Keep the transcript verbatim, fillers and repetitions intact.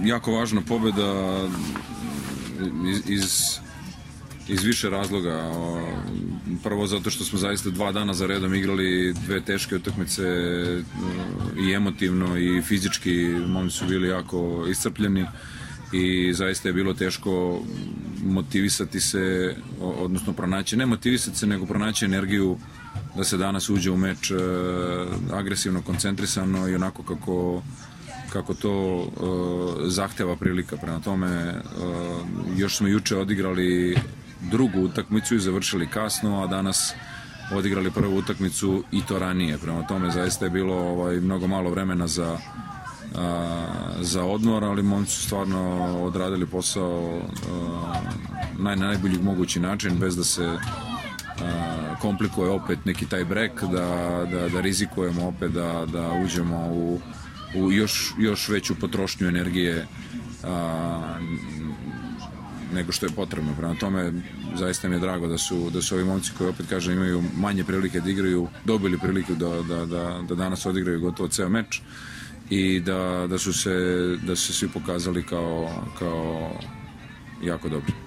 jako važna pobjeda iz, iz, iz više razloga. Prvo zato što smo zaista dva dana za redom igrali dve teške utakmice i emotivno i fizički. Momci su bili jako iscrpljeni i zaista je bilo teško motivisati se, odnosno pronaći, ne motivisati se, nego pronaći energiju da se danas uđe u meč agresivno, koncentrisano i onako kako kako to uh, zahteva prilika. Prema tome, uh, još smo juče odigrali drugu utakmicu i završili kasno, a danas odigrali prvu utakmicu i to ranije. Prema tome, zaista je bilo ovaj, mnogo malo vremena za, uh, za odmor, ali momci su stvarno odradili posao uh, na najbolji mogući način, bez da se uh, komplikuje opet neki taj break, da, da, da rizikujemo opet da, da uđemo u u još, još veću potrošnju energije a, nego što je potrebno. Prema tome, zaista mi je drago da su, da su ovi momci koji, opet kažem, imaju manje prilike da igraju, dobili priliku da, da, da, da danas odigraju gotovo ceo meč i da, da, su se, da su se svi pokazali kao, kao jako dobri.